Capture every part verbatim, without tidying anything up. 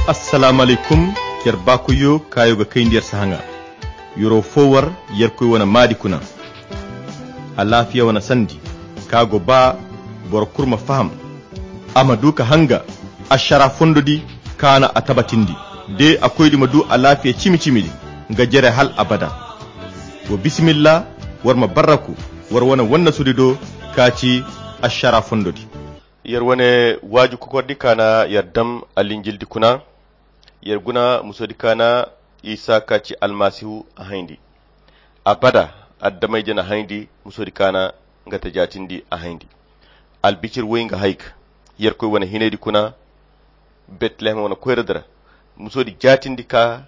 Assalaamu alaykum. Yer baakoyyo kaayo ga kayndi yer sahaŋa. Yero fo war yerkoy wane maadi kuna. Alaafiya wane sandi ka go ba boro kulu ma faham. A ma du ka hanga ašara fondo di kaana a tabatindi. De a koydi ma du alaafiya cimi-cimi di nga jere hal abada. Wo bisimilla, war ma barraku war wane wannasudi do ka ci ašara fondo di. Yer wane waaju kokordi kaana yer dam alinjildi kuna. Yer guna musodi kaana isa ka ci almasihu a hayndi. Abada addamayje na hayndi musodi kaana nga ta jaatindi a hayndi. Albicir woy nga hayka yerkoy wane hinaydi kuna. Betlehem wane koyra dira musodi jaatindi ka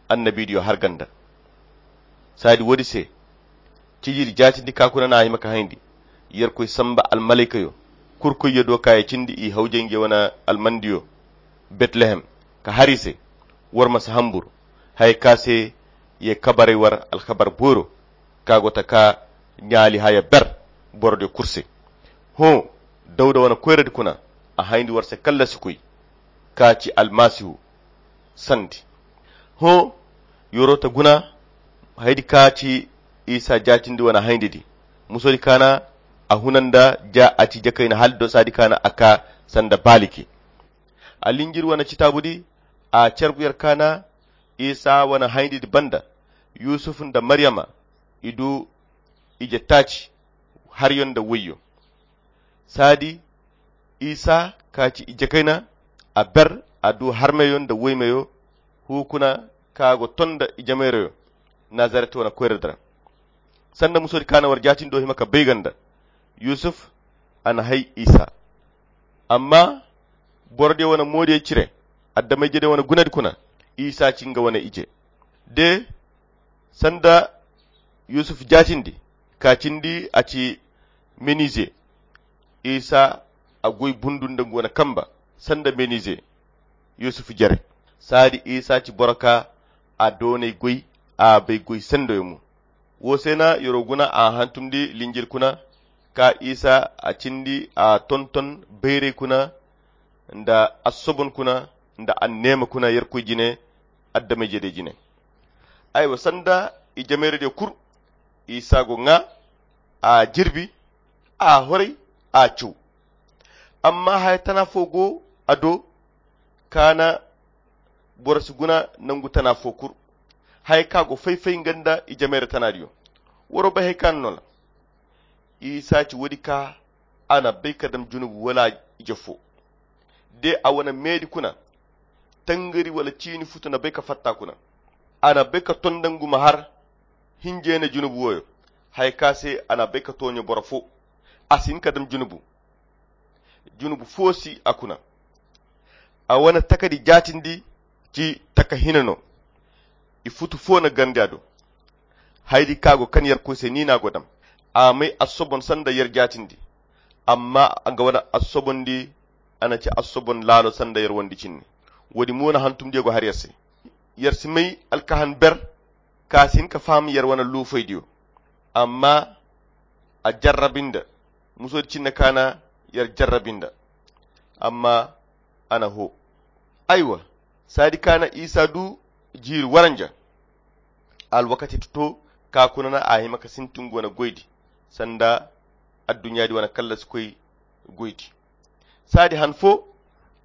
annabiidiyo har ganda. Saadi woodi se cijiri jaatindi ka kuna na a hima ka hayndi. Yerkoy samba almalaykayo kurkoyyo do ka ye cindi i hawjay nge wane almandiyo. Betlehem ka har i se war ma si hambur haya ka se ye kabaray war alkabar booro ka go ta ka ɲaali haya ber boro de kulu se. Hõ dawda wane koyradi kuna a hayndi war se kallasi koy ka ci almasihu sandi. Hõ yoro ta guna haydi ka ci isa jaatindi wane hayndi di. Musodi kaana a huna nda ja a ci jakayna hal do saadi kaana a ka sanda baaliki. Alinjir wane citaabudi a cargu yer kaana isa wane hayndi di banda. Yusuf nda maryama i du ije taaci haryo nda woyyo. Saadi isa ka ci ije kayna a ber a du harmeyo nda woymeyo. Hukuna ka go ton nda ije mayrayo nazaret wane koyra dira. Sanda musodi kaana war jaatindi do hima ka bay ganda yusuf a na hay isa. Amma borodiyo wane moodiyo cire addamayjediyo wane gunadi kuna isa ci nga wane ije. De sanda yusuf jaatindi ka cindi a ci menize isa a goy bundu nda nga wane kamba sanda menize. Yusuf jere saadi isa ci boro ka a doonay goy a bay goy sendoyo mo. Wo se na yoro guna a hantumndi linjil kuna ka isa a cindi a tonton bayray kuna nda assobon kuna nda anneema kuna yerkoy jine addamayjediyo jine. Aywa sanda i jameeradiyo kul isa go ŋaa a jirbi a horay a caw. Amma haya tana fo go a do ka na boro si guna nangu tana fo kul. Haya ka go fay-fay nga nda i jameera tana diyo. Waro bay hay ka na no la isa ci woodi ka a na bay ka dam junubu wala ije fo. De a wane meedi kuna tangari wala ciini futu na bay ka fatta kuna. A na bay ka ton nda ngu ma har hinjey na junubu woyo. Haya ka se a na bay ka tooɲo boro fo. A si hin ka dam junubu. Junubu fo si a kuna. A wane takadi jaatindi ci taka hina no. I futu fo na gandi a do. Haydi ka go kan yerkoy se ni na go dam. A may assobon sanda yer jaatindi. Amma a ga wane assobondi a na ci assobon laalo sanda yer wondi cinne. Woodi mo na hantumdiyo go har yer se. Yer si may alkahan ber ka si hin ka faham yer wane luufaydiyo. Amma a jarrabinda musoodi cinne ka na yer jarrabinda. Amma a na hoo. Aywa saadi ka na isa du jiiri waranja. Alwakati to to ka kuna na a hima ka sintin go na goydi sanda adduɲɲaadi wane kallasi koy goydi. Saadi han fo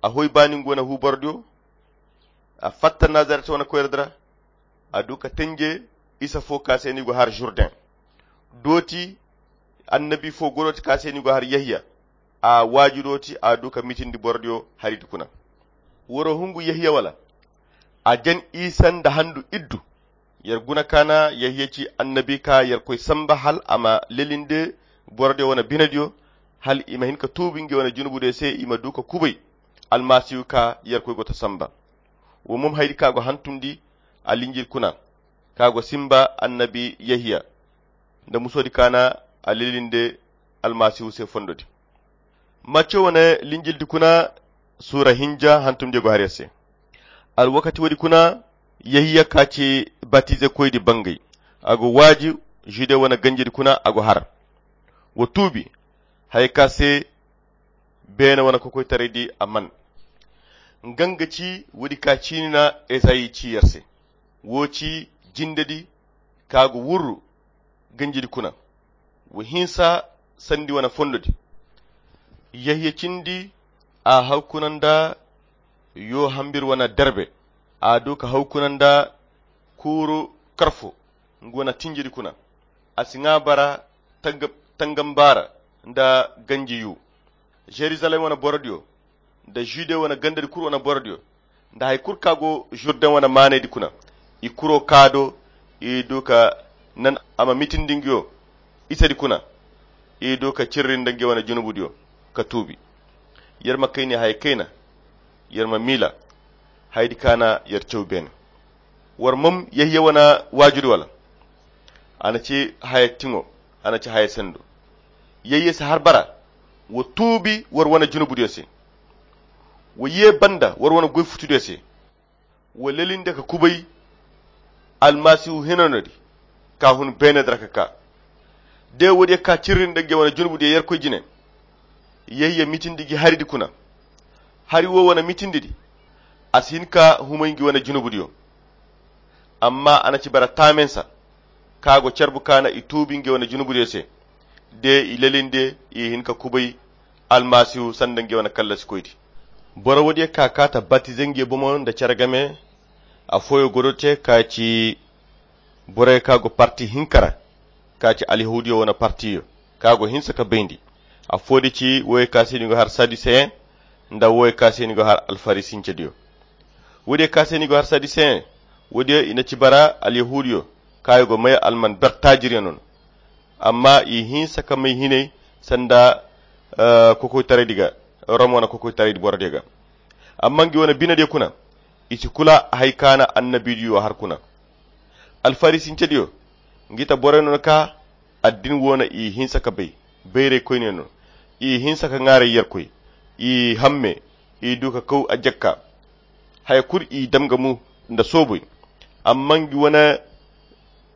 a hoy baani ngu wane huubordiyo. A fatta nazaret wane koyra dira a du ka tenje isa fo ka se ni go har jurden. Dooti annabi fo go dooti ka se ni go har yahiya. A waaju dooti a du ka mitindi borodiyo haridi kuna. Woro hungu yahiya wala a jan isa nda handu iddu. Yer guna ka na yahiya ci annabi ka yerkoy samba hal a ma lelinde borodiyo wane binediyo hal i ma hin ka tuubu ngey wane junubudiyo se i ma du ka kubay almasihu ka yerkoy go ta samba. Wo mom haydi ka go hantumndi alinjil kuna ka go simba annabi yahiya nda musoodi ka na a lelinde almasihu se fondodi. Macce wane linjildi kuna suura hinja hantumdiyo go har yer se. Alwakati woodi kuna yahiya ka ci batizekoydi bangay a go waaju jude wane ganjidi kuna a go har. Wa tuubi haya ka se beene wane kokoytaraydi a man. Nga nga ci woodi ka ciini na Ezayi ci yer se. Wo ci jindedi ka go wurru ganjidi kuna. Wa hinsa sandi wane fondodi. Yahya cindi a haw kuna nda yo hambir wane derbe. A du ka haw kuna nda kuuru karfo nga wane tinjidi kuna. A si ŋwa bara tangam bara nda ganji yu. Jerusalem wane borodiyo nda jude wane gandadi kulu wane borodiyo nda hari kulu ka go jurden wane maanaydi kuna. I kuro ka do i du ka nan a ma mitindi nga yo isedi kuna. I du ka cirri nda nga wane junubudiyo ka tuubi. Yer ma kayni haya kayna. Yer ma miila hayadi ka na yer caw beene. War mam yayye wane waajudi wala? A na ci haya tiŋo. A na ci haya sendo. Yayye si har bara. Wa tuubi war wane junubudiyo se. Wa ye banda war wane goy futudiyo se. Wa lelinde ka kubay almasihu hinanodi ka hun beenedi ra ka ka. De woodiyo ka cirri nda nga wane junubudiyo yerkoy jine. Yayye mitindi gi haridi kuna. Hari wo wane mitindidi a si hin ka humay nga wane junubudiyo. Amma a na ci bara taamensa ka go carbu ka na i tuubi nga wane junubudiyo se. De i lelinde i hin ka kubay almasihu sanda nga wane kallasikoydi. Boro woodiyo ka ka ta batize nga bomo nda care game. Afooyo godo te ka ci borey ka go parti hinka ra ka ci alyahuudiyo wane partiyo ka go hinsa ka bayndi. Afoodi ci woy ka se ni go har saduseyen nda woy ka se ni go har alfarisincediyo. Woodiyo ka se ni go har saduseyen woodiyo i na ci bara alyahuudiyo ka i go may alman ber taajiriyo no. Amma i hinsa ka may hinay sanda kokoytaraydi ga rom wane kokoytaraydi borodiyo ga. Amma nga wane binediyo kuna i si kula hari ka na annabidiyo har kuna. Alfarisincediyo nga i ta borey no ka addin wo na i hinsa ka bay. Bayraykoyne no i hinsa ka ŋwaaray yerkoy. I hamme i du ka kaw a jakka. Haya kulu i dam ga mu nda sooboy. Amma nga wane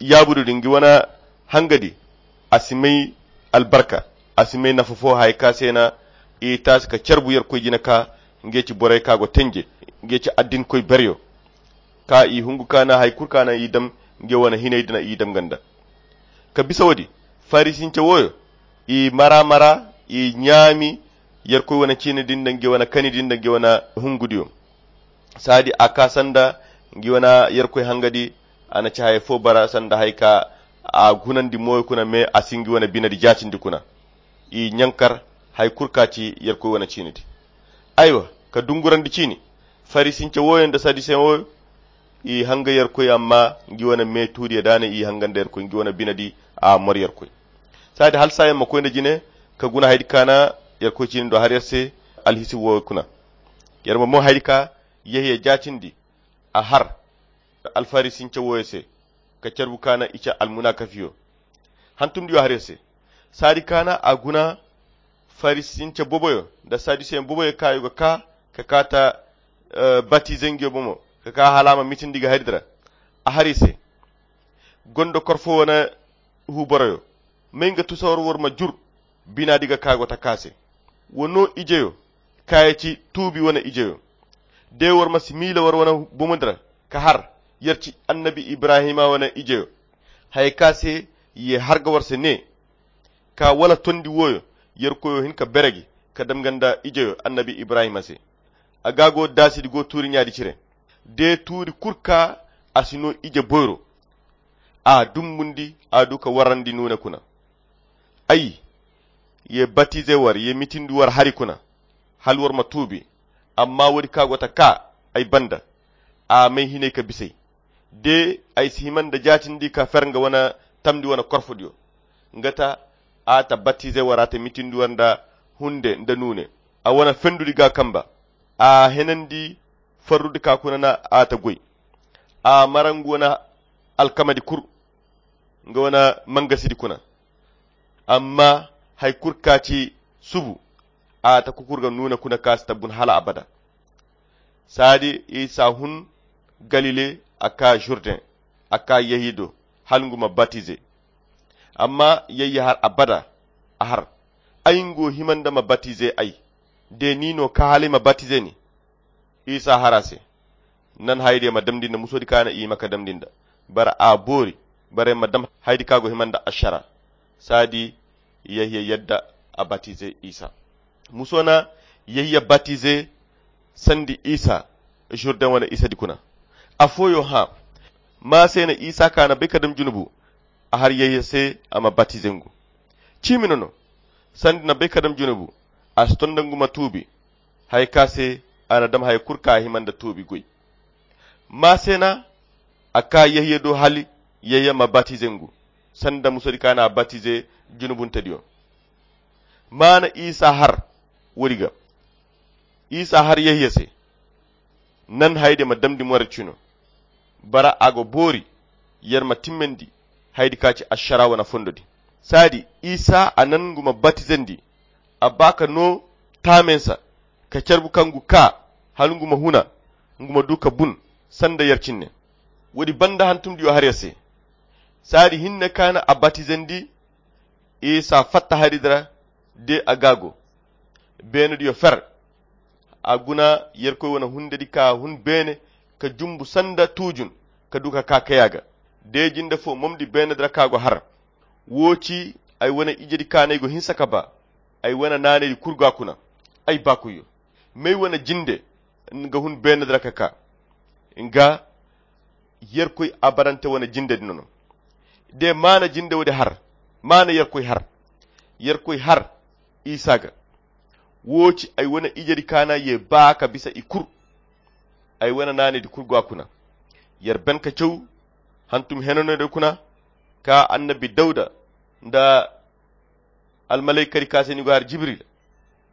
yaabudu din nga wane hangadi a si may albarka. A si may nafa fo haya ka se na i taasi ka carbu yerkoy jina ka nga ci borey ka go tenje nga ci addinkoy beryo. Ka i hungu ka na hari kulu ka na i dam nga wane hinay din a i dam ganda. Ka bisa woodi farisince wooyo i mara mara i ɲaami yerkoy wane ciini din da nga wane kani din da nga wane hungudiyo. Saadi a ka sanda nga wane yerkoy hangadi a na ci haya fo bara sanda hari ka a gunandi mooyo kuna me a si nga wane binedi jaatindi kuna. I ɲankar hari kulu ka ci yerkoy wane ciinidi. Aywa ka dungurandi ciini farisince wooyo nda saduseyen wooyo i hanga yerkoy amma nga wane me tuudiyo da a na i hanga nda yerkoy nga wane binedi a mor yerkoy. Saadi hala saayaŋ ma koy nda jine ka guna hayadi ka na yerkoy ciini do har yer se alhisi wooyo kuna. Yer ma mo hayadi ka yehya jaatindi a har alfarisince wooyo se ka carbu ka na i ca almunakafiyo hantumdiyo har yer se. Saadi ka na a guna farisince boboyo nda saduseyen boboyo ka i go ka ka ka ta batize nga yo bomo ka ka hala a ma mitindi ga hari di ra. A hari se gondo korfo wane hu boroyo may nga tusawar war ma jur binaadi ga ka go ta ka se. Wa no ijeyo ka ya ci tuubi wane ijeyo. De war ma si miila war wane bomo di ra ka har yer ci annabi ibrahima wane ijeyo. Haya ka se ye har ga war se ne ka wala tondi wooyo yerkoyo hin ka bere gi ka dam nga nda ijeyo annabi ibrahima se. A ga go daasidi go tuuri ɲaadi cire de tuuri kulu ka a si no ije boyro. A dumbundi a du ka warandi nuune kuna. Ay ye batize war ye mitindi war hari kuna hala war ma tuubi. Amma woodi ka go ta ka ay banda a may hinay ka bisay de ay si hima nda jaatindi ka fer nga wane tamndi wane korfodiyo. Nga ta a ta batize war a ta mitindi war nda hunde nda nuune a wane fendudi ga kamba. A henandi farrudi ka kuna na a ta goy a mara nga wane alkamadi kulu nga wane mangasidi kuna. Amma hari kulu ka ci subu a ta kukur ga nuune kuna ka si tabbun hala abada. Saadi isa hun galile a ka jurden a ka yehi do hala nga ma batize. Amma yayya har abada a har ay nga wo hima nda ma batize ay de ni no ka hala ay ma batize ni. Isa har a se. Nan hayadiyo ma damndi nda musoodi ka na i ma ka damndi nda. Bara a boori. Bara i ma dam hayadi ka go hima nda ašara. Saadi yahya yadda a batize isa. Muso na yahya batize sandi isa. Žurden wane isadi kuna. Afooyo hã. Ma se na isa ka na bay ka dam junubu. A har yahya se a ma batize ngu. Ciimi no no. Sandi na bay ka dam junubu. A si ton nda ngu ma tuubi. Haya ka se a na dam haya kul ka hima nda tuubi goy. Ma se na a ka yahya do hali yahya ma batize ngu. Sanda musoodi ka na a batize junubuntediyo. Ma na isa har woodi ga. Isa har yahya se. Nan hayadiyo ma damndi more cino. Bara a go boori. Yer ma timmandi hayadi ka ci ašara wane fondodi. Saadi isa a nan ngu ma batizandi. A ba ka no taamen sa ka carbu ka ngu ka hala ngu ma huna. Ngu ma du ka bun sanda yer cinne. Woodi banda hantumdiyo har yer se. Saadi hinne ka na a batizandi. Isa fatta hari di ra de a ga go. Beenediyo fer. A guna yerkoy wane hundedi ka hun beene ka jumbu sanda tuujun ka du ka ka kaya ga. De jinde fo momdi beenedi ra ka go har. Wo ci ay wane ijedi ka no ay go hinsa ka ba. Ay wane naanaydi kul go a kuna. Ay baakoyyo, m'ay wane jinde nga hun beenedi ra ka ka. Nga yerkoy abarante wane jindedi no no. De maana jinde woodi har. Maana yerkoy har. Yerkoy har isa ga. Wo ci ay wane ijedi ka na ye ba ka bisa i kul. Ay wane naanaydi kul go a kuna. Yer ben ka caw hantum henanodey kuna ka annabi dawda nda almalaykadi ka se ni go har jibril.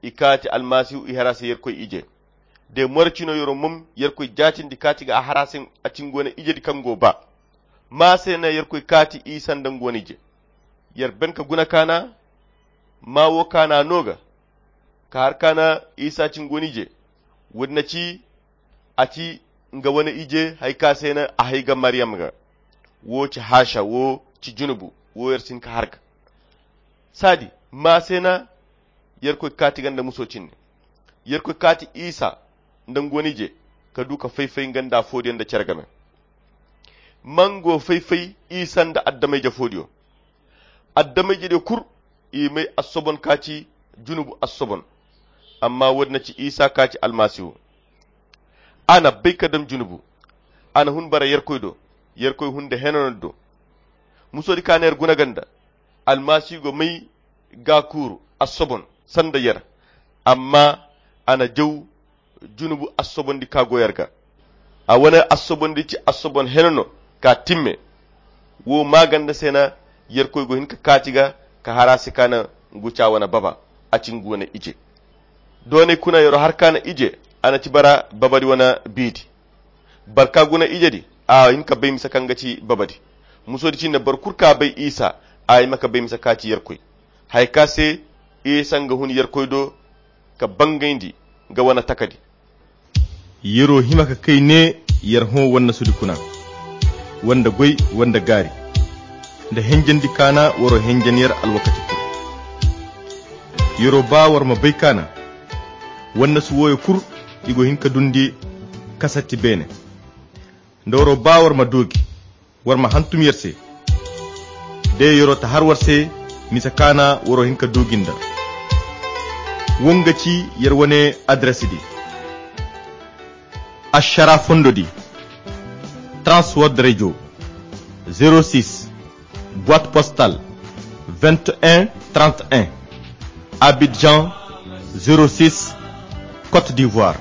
I kaati almasihu i har a se yerkoy ije. De more cino yero mom yerkoy jaatindi kaati ga a har a se a ci ngu wane ijedi kaŋ go ba. Ma se na yerkoy kaati isa nda ngu wane ije. Yer ben ka guna ka na ma wo ka na no ga ka har ka na isa ci ngu wane ije. Woodi na ci a ci nga wane ije haya ka se na a hay ga mariyam ga. Wo ci haasa wo ci junubu. Wo yer si hin ka har ga. Saadi ma se na yerkoy kaati ga nda muso cinne. Yerkoy kaati isa nda ngu wane ije ka du ka fay-fay nga nda afoodiyo nda cere game. Ma ngu fay-fay isa nda adama-ije foodiyo. Adama-ijediyo kul i may assobon ka ci junubu assobon. Amma woodi na ci isa ka ci almasihu. A na bay ka dam junubu. A na hun bara yerkoy do. Yerkoy hun nda henanodi do. Musoodi ka na yer guna ga nda almasihu go may ga kuuru assobon sanda yer. Amma a na jaw junubu assobondi ka go yer ga. A wane assobondi ci assobon hene no ka timme. Wo maaganda se na yerkoy go hin ka kaati ga ka har a se ka na ngu ca wane baba. A ci ngu wane ije. Doonay kuna yero har ka na ije. A na ci bara babadi wane biidi. Barka guna ijedi a hin ka bay misa kaŋ ga ci babadi. Musodi cine boro kulu ka bay isa a hima ka bay misa ka ci yerkoy. Haya ka se isa nga hun yerkoy do ka bangayndi nga wane takadi. Yero hima ka kay ne yer hõ wannasudi kuna wanda goy wanda gaari nda henjandi kaana waro henjan yer alwakati kulu. Yero ba war ma bay kaana wannasu wooyo kulu i go hin ka dundi kasatti beene. Nda waro ba war ma doogi war ma hantum yer se. De yero ta har war se misa kaana waro hin ka doogi nda. Wo nga ci yer wane adres di. Ašara fondo di. Transworld radio. Zero six boîte postale vingt et un trente et un. Abidjan. Zero six côte d'ivoire.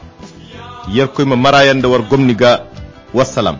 Yerkoy ma mara yaŋ da war gomni ga. Wassalam.